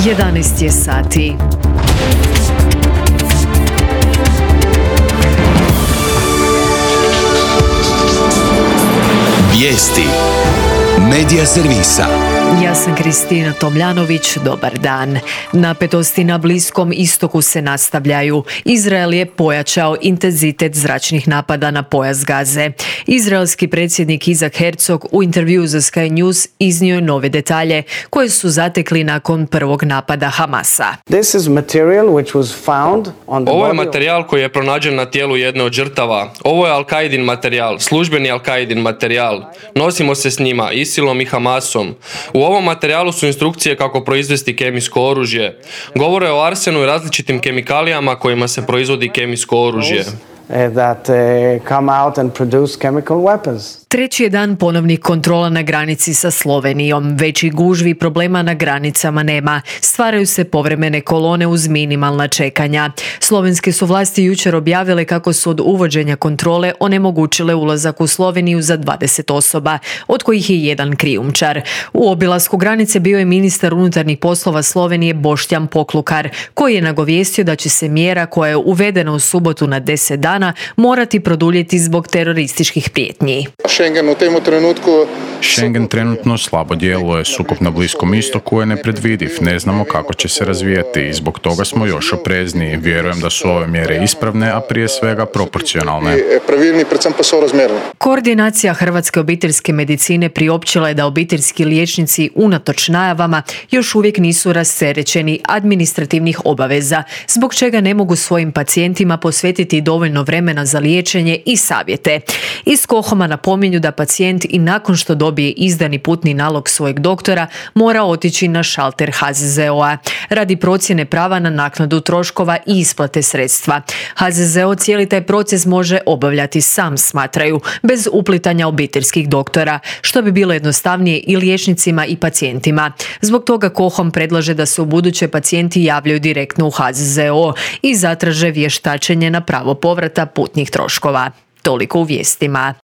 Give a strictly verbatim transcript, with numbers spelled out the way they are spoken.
jedanaest je sati. Vijesti Medija servisa. Ja sam Kristina Tomljanović, dobar dan. Napetosti na Bliskom istoku se nastavljaju. Izrael je pojačao intenzitet zračnih napada na pojas Gaze. Izraelski predsjednik Izak Herzog u intervjuu za Sky News iznio je nove detalje koje su zatekli nakon prvog napada Hamasa. Ovo je materijal koji je pronađen na tijelu jedne od žrtava. Ovo je Al-Qaidin materijal, službeni Al-Qaidin materijal. Nosimo se s njima, Isilom i Hamasom. U ovom materijalu su instrukcije kako proizvesti kemijsko oružje. Govore o arsenu i različitim kemikalijama kojima se proizvodi kemijsko oružje. That uh, come out and produce chemical weapons. Treći je dan ponovnih kontrola na granici sa Slovenijom. Većih gužvi problema na granicama nema. Stvaraju se povremene kolone uz minimalna čekanja. Slovenske su vlasti jučer objavile kako su od uvođenja kontrole onemogućile ulazak u Sloveniju za dvadeset osoba, od kojih je jedan krijumčar. U obilasku granice bio je ministar unutarnjih poslova Slovenije Boštjan Poklukar, koji je nagovijestio da će se mjera koja je uvedena u subotu na deset dana morati produljiti zbog terorističkih prijetnji. Schengen u temu trenutku... Schengen trenutno slabo djeluje, sukob na Bliskom istoku je nepredvidiv, ne znamo kako će se razvijeti i zbog toga smo još oprezniji. Vjerujem da su ove mjere ispravne, a prije svega proporcionalne. Pravilni, predvsem pa sorazmerne. Koordinacija Hrvatske obiteljske medicine priopćila je da obiteljski liječnici unatoč najavama još uvijek nisu rasterećeni administrativnih obaveza, zbog čega ne mogu svojim pacijentima posvetiti dovoljno vremena za liječenje i savjete. Iz KOHOM-a napominju da pacijent i nakon što dobije izdani putni nalog svojeg doktora mora otići na šalter H Z Z O-a radi procjene prava na naknadu troškova i isplate sredstva. H Z Z O cijeli taj proces može obavljati sam, smatraju, bez uplitanja obiteljskih doktora, što bi bilo jednostavnije i liječnicima i pacijentima. Zbog toga KOHOM predlaže da se ubuduće pacijenti javljaju direktno u H Z Z O i zatraže vještačenje na pravo povrata putnih troškova. Toliko u vijestima.